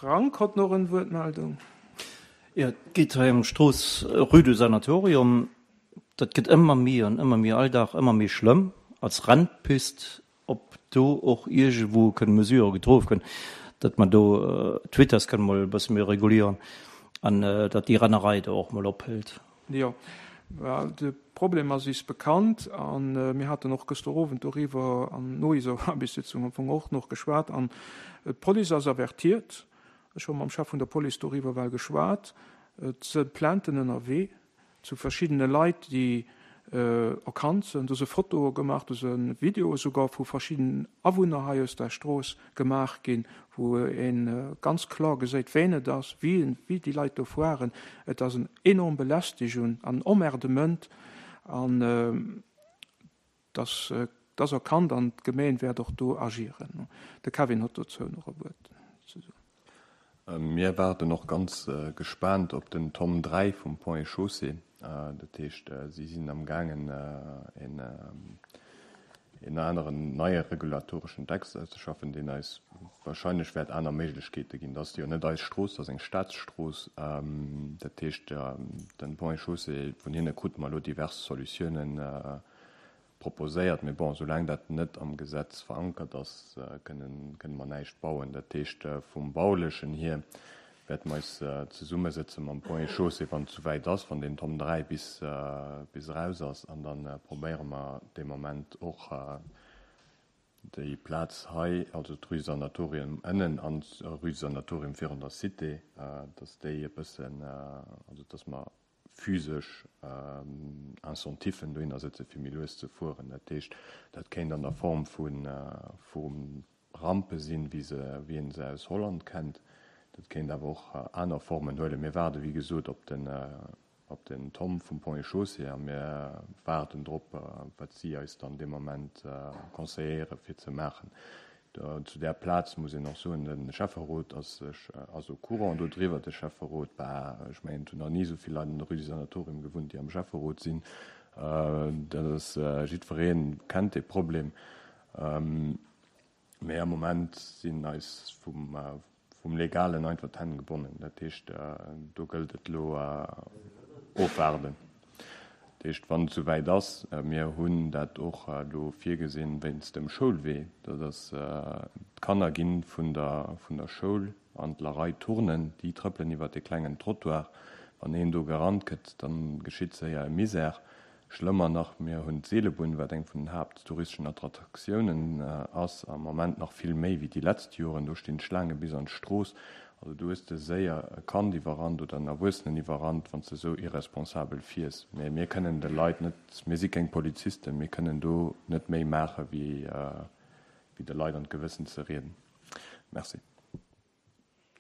Frank hott noch en Wuertmeldung. Jo, et geet hei ëm d'Strooss Rue du Sanatorium. Dat gëtt ëmmer méi an ëmmer méi, all Dag ëmmer méi schlëmm als Rennpist. Ob do och iergendwou kënne Mesurë getrof ginn, datt mer do d'Vitess kënne mol e bësse méi regulieren an datt déi Rennerei do och mol ophält. Jo, de Problem ass is bekannt a mir haten och gëschter Owend doriwwer an no iser Aarbechtssitzung am Fong och nach geschwat an d'Police ass avertiert. Ech hu mam Chef vun der Police doriwwer well geschwat. Et si Plainten ënnerwee zu verschiddene Leit, déi erkannt sinn. Do si Fotoe gemaach, do si Videoe souger vu verschiddenen Awunner hei aus der Strooss gemaach ginn, wou ee ganz kloer geséit, ween et ass, wéi déi Leit do fueren. Et ass en enorm Belästigung an en Emmerdement an et ass erkannt an d'Gemeen wäert och do agieren. De Kevin huet dozou nach e Wuert ze soen. Mir waarden och ganz gespaant op den Tom 3 vum Ponts et Chaussées. Dat heescht, si sinn am gaangen en aneren neie regulatoreschen Text auszeschaffen, deen eis wahrscheinlech wäert aner Méiglechkeete ginn. Dat ass jo net eis Strooss, dat ass eng Staatsstrooss. Dat heescht, den Ponts et Chaussées, vun hinne krute mer elo divers Solutiounen proposéiert, mee bon, soulaang dat net am Gesetz verankert ass, kënnen mer näischt bauen. Dat heescht, vum Baulechen hier wäerte mer eis zesummesëtze mam Ponts et Chaussées, wann et souwäit ass, wann deen Tom 3 bis eraus ass, an da probéiere mer dee Moment och déi Plaz hei, also d'Rue du Sanatorium ënnen an d'Rue du Sanatorium virun der Cité, dass déi e bëssen, also dass mer physesch Incentifen dohinner sëtzen, fir méi lues ze fueren. Dat heescht, dat kéint an der Form vu Rampe sinn, wéi se, wéi een se aus Holland kennt. Dat kéint awer och aner Formen huelen. Mir waarde wéi gesot op den, op den Tom vum Ponts et Chaussées a mir waarden drop, wat si eis dann dee Moment conseilléiere fir ze maachen. Zu där Plaz muss een och soen, de Schäfferot ass sech, ass au courant dodriwwer. De Schäfferot war, ech mengen, et hunn nach ni esou vill Leit an der Rue du Sanatorium gewunnt, déi am Schäfferot sinn. Dat ass, jiddweree kennt dee Problem. Mee am Moment sinn eis vum, Vum Legalen einfach d'Hänn gebonnen. Dat heescht, do gëllt et elo ofwaarden. Dat heescht, wann et esouwäit ass, mir hunn dat och elo virgesinn wéinst dem Schoulwee, dat ass, d'Kanner gi vun der vun der Schoul an d'Lerei turnen, déi trëppelen iwwert dee klengen Trottoir. Wann een do gerannt gëtt, da geschitt séier e Misär. Schlëmmer nach, mir hunn d'Seelebunn, wat eng vun den haapttouristeschen Attraktiounen ass, am Ament nach vill méi wéi déi letzt Joren. Do stinn d'Schlaange bis an d'Strooss. Also do hues de séier e Kand iwwerrannt oder en Erwuessenen iwwerrannt, wann s de esou irresponsabel fiers. Mä mir kënnen de Leit net, mir si keng Polizisten, mir kënnen do net méi maache wéi de Leit an d'Gewëssen ze rieden. Merci.